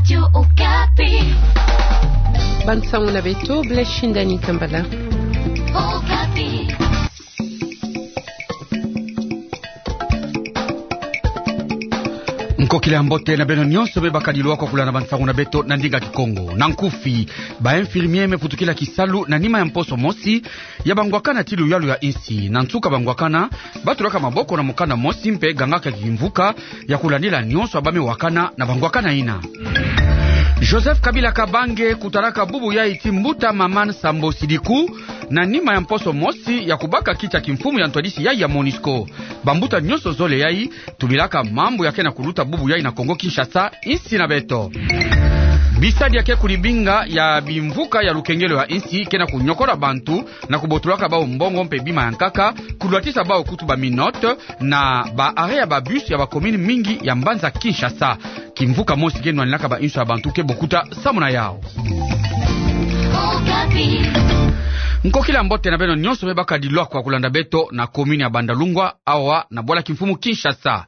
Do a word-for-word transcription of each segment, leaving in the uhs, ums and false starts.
Radio Okapi. Bansango na beto, Blaise Shindani Kambala. Okapi. Nkokila ya mbote na beno nyonso me bakadi lwakwa kulanda bansango na beto na ndinga Kikongo. Na nkufi, ba infirmier me vutukila kisalu na nima ya mposo mosi ya bangwakana ti luyalu ya insi. Na nsuka bangwakana batulaka maboko na mukanda mosi mpe gangaka kimvuka ya kulandila nyonso ya ba me wakana na bangwakana ina. Joseph Kabila Kabange kutalaka bubu yai ti mbuta Maman Sambo Sidiku na nima ya mposo mosi ya kubaka kiti ya kimfumu ya ntwadisi yai ya MONUSCO. Bambuta nyonso zole yai tubilaka mambu ya ke na kuluta bubu yai na Kongo Kinshasa, insi na beto. Bisadi ya ke kulibinga ya bimvuka ya lukengelo ya insi ke na kunyokola bantu na kubotolaka bau mbongo mpe bima ya nkaka, kulwatisa bau kutu ba minote na ba arrêt ya ba bus ya ba commune mingi ya mbanza Kinshasa. Kimvuka mosi ke nwaninaka ba inso ya bantu ke bokuta samu na yau. Nkokila mbote na beno nyonso me bakadi lwakwa kulanda beto na commune ya Bandalungwa, awa na bwala kimfumu Kinshasa.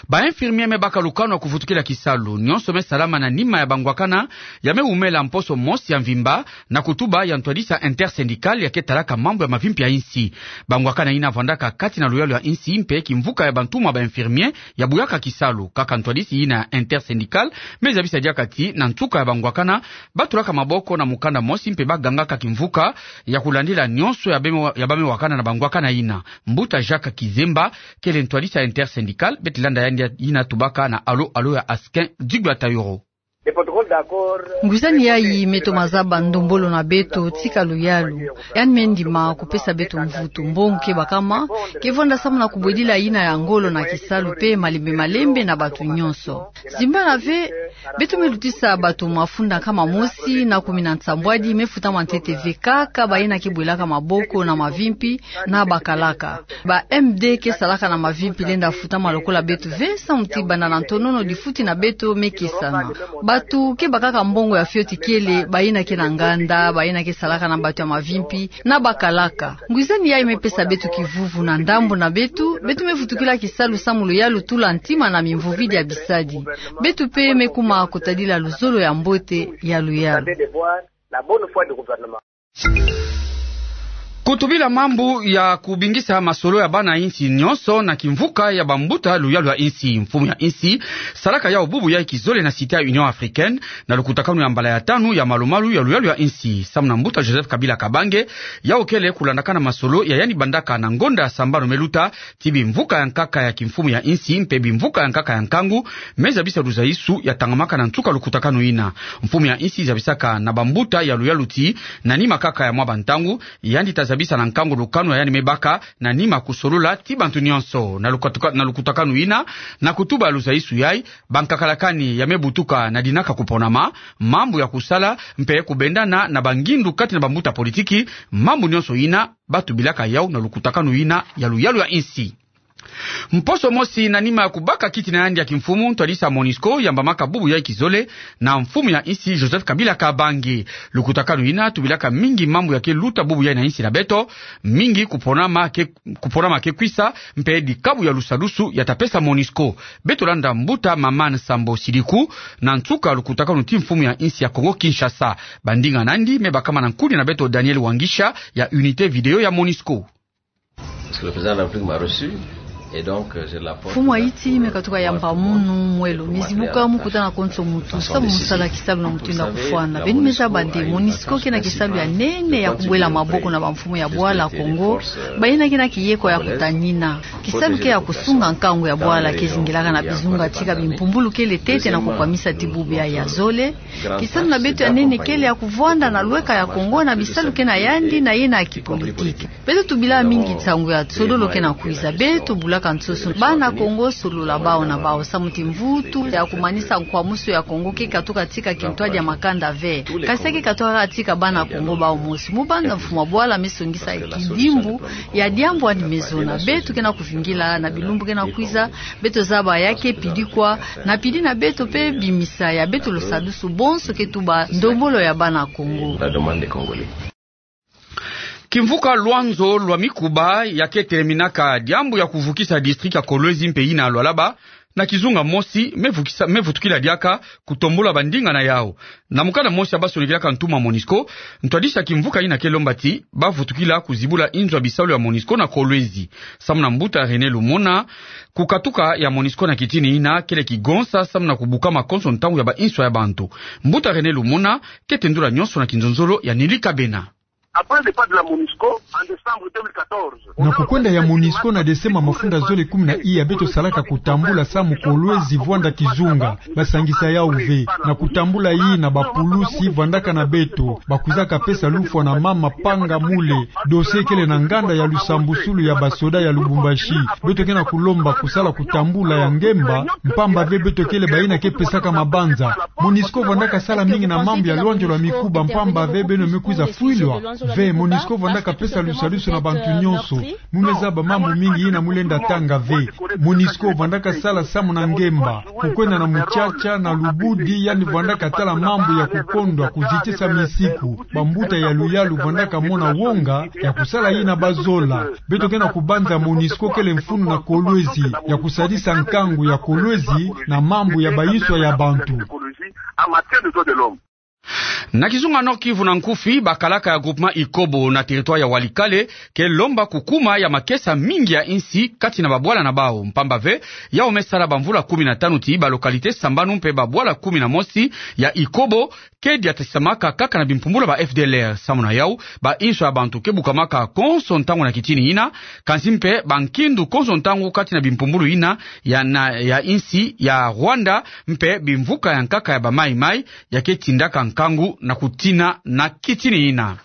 Ba infirmier me baka lukanu ya kuvutukila kisalu nyonso me salama na nima ya bangwakana ya me wumela mposo mosi ya mvimba, na kutuba ya ntwadisi ya intersyndical ya ke talaka mambu ya mavimpi ya insi. Bangwakana ina vandaka kati na luyalu ya insi mpe kimvuka ya bantumwa ba infirmier ya buyaka kisalu. Kaka ntwadisi ina ya intersyndical me zabisa diaka ti na nsuka ya bangwakana batulaka maboko na mukanda mosi mpe bagangaka kimvuka ya kulandila nyonso ya ba me wa-, ya ba me wakana na bangwakana ina. Mbuta Jacques Kizemba kele ntwadisi ya intersyndical, beto landa yandi ina tubaka na alo alo ya Askin Digwa Tayoro. Ngwizani yai me toma zaba ndombolo na beto tika luyalu. Yandi me ndima kupesa beto mvutu. Mbongo ke bakama ke vwanda samu na kubwedila ina ya ngolo na kisalu mpe malembe malembe na bantu nyonso. Zimbana ve, beto me lutisa bantu mafunda nkama mosi na kumi na nsambwadi me futama ntete ve kaka ba ina ke bwelaka maboko na mavimpi na bakalaka. Ba M D ke salaka na mavimpi lenda futama lokola beto ve, samu ti banda na ntonono difuti na beto me kesana. Bantu ke bakaka mbongo ya fioti kele ba ina ke na nganda, ba ina ke salaka na bantu ya mavimpi na bakalaka. Ngwizani yai me pesa beto kivuvu na ndambu na beto, beto me vutukila kisalu samu luyalu tula ntima na mimvovidi ya bisadi. Beto mpe me kuma kotadila luzolo ya mbote ya luyalu. Kutubila mambu ya kubingisa masolo ya bana insi nyonso na kimvuka ya bambuta luyalu ya insi. Mfumu ya insi salaka yau bubu yai kizole na Cité ya Union Africaine, na lukutakanu ya mbala ya tanu ya malu-malu ya luyalu ya insi. Samu na mbuta Joseph Kabila Kabange, yau kele kulandakana masolo ya yandi bandaka na ngonda ya sambanu me luta, ti bimvuka ya nkaka ya kimfumu ya insi mpe bimvuka ya nkaka ya nkangu me zabisa luzaisu ya tangamaka na nsuka lukutakanu ina. Mfumu ya insi zabisaka na bambuta ya luyalu ti, na nima kaka ya mwa bantangu, yandi ta zabisa na nkangu lukanu ya yandi me baka, na nima kusolola ti bantu nyonso. Na lukatuka-, na lukutakanu ina, na kutuba luzaisu yai, bankakalakani ya me butuka na dinaka kuponama, mambu ya kusala, mpe kubendana na bangindu kati na bambuta politiki, mambu nyonso ina, batubilaka yau na lukutakanu ina ya luyalu ya insi. Mposo mosi na nima ya kubaka kiti na yandi ya kimfumu, ntwadisi ya MONUSCO yambamaka bubu yai kizole na mfumu ya insi Joseph Kabila Kabange. Lukutakanu ina tubilaka mingi mambu ya ke luta bubu yai na insi na beto, mingi kuponama ke, kuponama ke kwisa, mpe dikabu ya lusadusu ya ta pesa MONUSCO. Beto landa mbuta Maman Sambo Sidiku na nsuka lukutakanu ti mfumu ya insi ya Kongo Kinshasa. Bandinga nandi me bakama na nkuni na beto Daniel Wangisha ya unité vidéo ya MONUSCO. Parce que le président de la République m'a reçu, et donc, euh, j'ai la porte ouverte pour, euh, pouvoir, pour, pour m'accueillir à la façon décidée. Mfumu ya insi me katuka yamba munu mwelo, me zibuka mu kutana konso mutu samu mu sala kisalu na mutindu ya kufwana. Beno me zaba nde MONUSCO ke na kisalu ya nene ya kubwela maboko na bamfumu ya bwala Kongo, ba ina ke na kiyeko ya kutanina. Kisalu ke ya kusunga nkangu ya bwala ke zingilaka na bizunga tika bimpumbulu kele ntete na kukwamisa ti bubu yai ya zole. Kisalu na beto ya nene kele ya kuvwanda na lweka ya Kongo na bisalu ke na yandi na yena ya kipolitiki. Beto tubila mingi nsangu ya sodolo ke na kwiza. Beto bulaka nsoso bana Kongo solola bau na bau samu ti mvutu ya kumanisa nkwamusu ya Kongo ke katuka tika kintwadi ya makanda ve. Kasi ya ke katuka tika bana Kongo bau mosi. Mu banza mfumu ya bwala me songisa kidimbu ya diambu yandi me zona. Beto ke na kuvingila na bilumbu ke na kwiza, beto zaba ya ke pidi kwa, na pidi na beto mpe bimisa ya beto lusadusu bonso ke tuba ndombolo ya bana Kongo. La demande des Congolais. Kimvuka Loanzo lwa Mikuba ya ke teleminaka diambu ya kuvukisa district ya Kolwezi mpe yina ya Lualaba, na kizunga mosi me vukisa, me vutukila diaka kutombula bandinga na yau. Na mukanda mosi ya basonikilaka ntumwa MONUSCO, ntwadisi ya kimvuka ina ke lomba ti bavutukila kuzibula inzo ya bisalu ya MONUSCO na Kolwezi. Samu na mbuta René Lumuna, kukatuka ya MONUSCO na kitini ina kele kigonsa samu na kubukama konso ntangu ya ba inswa ya bantu. Mbuta René Lumuna ke tendula nyonso na kinzonzolo ya Nili Kabena. Après le départ de la MONUSCO en décembre deux mille quatorze, na kukwenda ya MONUSCO na Desemba mafunda zole kumi na iya, beto salaka kutambula samu Kolwezi vwanda kizunga, basangisa yau ve. Na kutambula ina, bapulusi vwandaka na beto, bakwizaka pesa lufwa na mama Panga Mule, dossier kele na nganda ya lusambusulu ya basoda ya Lubumbashi. Beto ke na kulomba kusala kutambula ya ngemba, mpamba ve beto kele bayina ke pesaka mabanza. MONUSCO vwandaka sala mingi na mambu ya lwanjolo ya mikuba, mpamba ve beno me kwiza fwilwa ve. MONUSCO vwandaka pesa lusalusu na bantu nyonso. Mu me zaba mambu mingi yina mu lenda tanga ve. MONUSCO vwandaka sala samu na ngemba, kukwenda na mutsatsa na lubudi, yandi vwandaka tala mambu ya kukondwa, kuzitisa misiku. Bambuta ya luyalu vwandaka mona wonga ya kusala yina bazola. Beto ke na kubanza MONUSCO kele mfunu na Kolwezi ya kusadisa nkangu ya Kolwezi na mambu ya ba inswa ya bantu. Na kizunga Nord-Kivu na nkufi, bakalaka ya groupement Ikobo na territoire ya Walikale ke lomba kukuma ya makesa mingi ya insi kati na babwala na bau, mpamba ve yau me sala bamvula kumi na tanu ti ba localité sambanu mpe babwala kumi na mosi ya Ikobo ke diatasamaka kaka na bimpumbulu ya ba F D L R. Samu na yau, ba inswa ya bantu ke bukamaka konso ntangu na kitini ina, kansi mpe bankindu konso ntangu kati na bimpumbulu ina ya na, ya insi ya Rwanda, mpe bimvuka ya nkaka ya ba Mai Mai ya ke tindaka nkangu na kutina na kitini ina.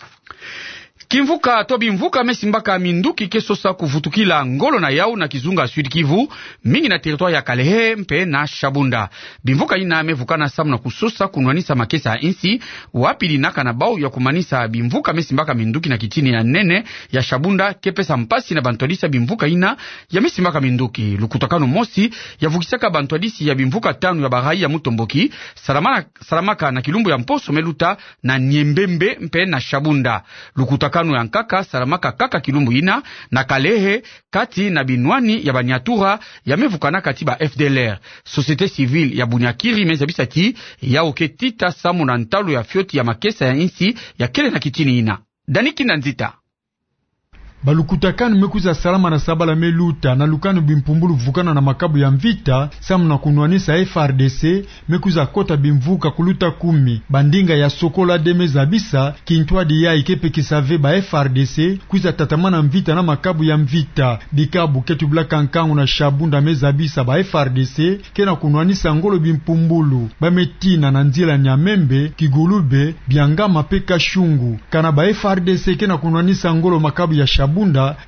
Kimvuka to bimvuka me simbaka minduki ke sosa kuvutukila ngolo na yau na kizunga Sud-Kivu, mingi na territoire ya Kalehe mpe na Shabunda. Bimvuka ina me vukana samu na kusosa kunwanisa makesa ya insi, wapi dinaka na bau ya kumanisa bimvuka me simbaka minduki na kitini ya nene ya Shabunda ke pesa mpasi na bantwadisi ya bimvuka ina ya me simbaka minduki. Lukutakanu mosi ya vukisaka bantwadisi ya bimvuka tanu ya ba rails ya Mutomboki salamana salamaka na kilumbu ya mposo me luta na Niembembe mpe na Shabunda. Lukutakanu ya nkaka salamaka kaka kilumbu ina na Kalehe, kati na binwani ya Baniatura ya me vukanaka ti ba F D L R. Société civile ya Bunyakiri me zabisa ti yau ke tita samu na ntalu ya fioti ya makesa ya insi ya kele na kitini ina. Dani Kinda Nzita. Balukutakanu me kwiza salama na sabala me luta, na lukanu bimpumbulu vukana na makabu ya mvita samu na kunwanisa F R D C, me kwiza kota bimvuka kuluta kumi. Bandinga ya Sokola deux me zabisa kintwadi yayi ke pekisa ve ba F R D C kwiza tatamana mvita na makabu ya mvita. Dikabu ke tubilaka nkangu na Shabunda me zabisa ba F R D C ke na kunwanisa ngolo bimpumbulu. Ba me tina na nzila Nyamembe, Kigulube, Biangama mpe Kashungu. Kana ba F R D C ke na kunwanisa ngolo makabu ya Shabunda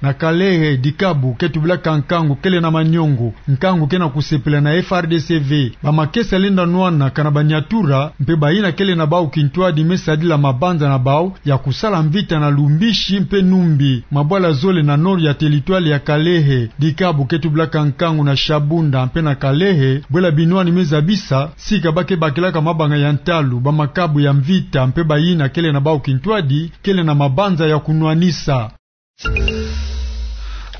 na Kalehe, dikabu ke tubilaka nkangu kele na manyongo. Nkangu ke na kusepela na F R D C ve. Ba makesa lenda nwana kana Baniatura mpe bayina kele na bau kintwadi me sadila mabanza na bau ya kusala mvita na Lumbishi mpe Numbi, mabwala zole na nord ya territoire ya Kalehe. Dikabu ke tubilaka nkangu na Shabunda mpe na Kalehe, bwela binwani me zabisa sika ba ke bakilaka mabanga ya ntalu, ba makabu ya mvita mpe bayina kele na bau kintwadi kele na mabanza ya kunwanisa.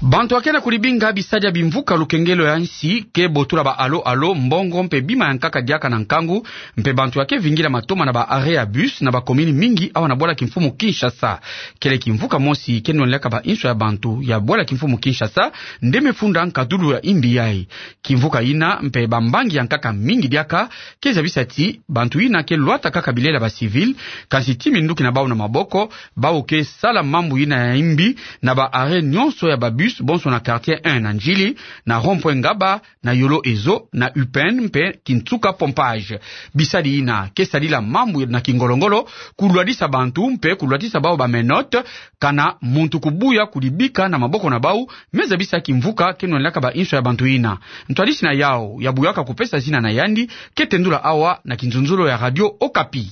Bantu ya ke na kulibinga bisadi ya bimvuka lukengelo ya nsi ke botola ba alo-alo, mbongo mpe bima ya nkaka diaka na nkangu, mpe bantu ya ke vingila matoma na ba arrêt ya bus na ba commune mingi awa na bwala kimfumu Kinshasa. Kele kimvuka mosi ke nwanilaka ba inswa ya bantu ya bwala kimfumu Kinshasa nde me funda nkadulu ya imbi yayi. Kimvuka ina mpe bambangi ya nkaka mingi diaka ke zabisa ti bantu ina ke lwata kaka bilele ya ba civil, kansi ti minduki na bau na maboko, bau ke sala mambu ina ya imbi na ba arrêt nyonso ya ba bus, bonso na quartier un na Ndjili, na rond-point Ngaba, na Yolo Ezo, na U P N mpe Kinsuka Pompage. Bisadi ina ke sadila mambu na kingolo-ngolo, kulwadisa bantu mpe kulwatisa bau ba menottes, kana muntu kubuya kulibika na maboko na bau, me zabisa kimvuka ke nwanilaka ba inswa ya bantu ina. Ntwadisi na yau ya buyaka kupesa zina na yandi ke tendula awa na kinzonzolo ya Radio Okapi.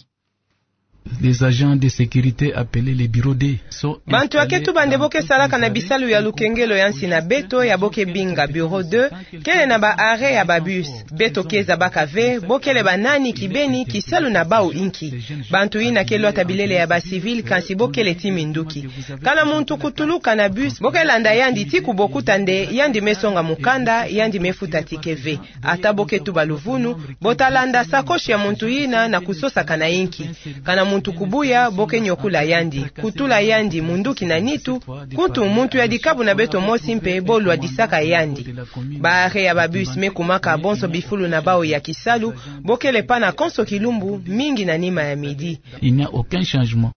Les agents de sécurité appelés les bureaux deux sont... Bantu ya ke tuba nde bo ke salaka na bisalu ya lukengelo ya nsi na beto, ya bo ke binga bureau deux, kele na ba arrêt ya ba bus. Beto ke zabaka ve bo kele ba nani, kibeni, kisalu na bau inki. Bantu yina ke lwata bilele ya ba civil, kansi bo kele ti minduki. Kana muntu kutuluka na bus, bo ke landa yandi ti kubokuta nde yandi me songa mukanda, yandi me futa ticket ve. Ata bo ke tuba luvunu, bo ta landa sacoche ya muntu yina na kusosaka na inki. Kana muntu kubuya, bo ke nyokula yandi, kutula yandi munduki na nitu, kutu muntu ya dikabu na beto mosi mpe bo lwadisaka yandi. Ba arrêt ya ba bus me kumaka bonso bifulu na bau ya kisalu, bo kele pana konso kilumbu, mingi na nima ya midi. Il n'y a aucun changement.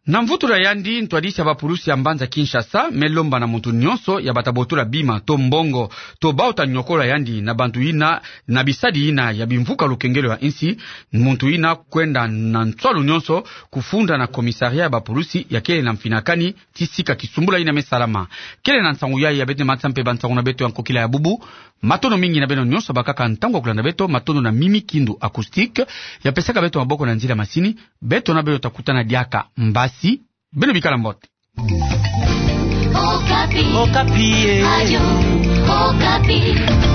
Na mvutula yandi, ntwadisi ya ba pulusi ya mbanza Kinshasa me lomba na muntu nyonso ya bata botula bima to mbongo, to bau ta nyokola yandi na bantu yina, na bisadi yina ya bimvuka lukengelo ya insi, muntu yina kwenda na nswalu nyonso kufunda na commissariat ya ba pulusi ya kele na mfinakani ti sika kisumbula yina me salama. Kele na nsangu yayi ya bete matsa mpe ba nsangu na beto ya nkokila ya bubu. Matondo mingi na beno nyonso bakaka ntangu ya kulanda beto, matondo na Mimi Kindu Acoustique ya pesaka beto maboko na nzila masini. Beto na beno ta kutana diaka mbasi. Beno bikala mbote. Okapi. Okapi, eh. Radio Okapi.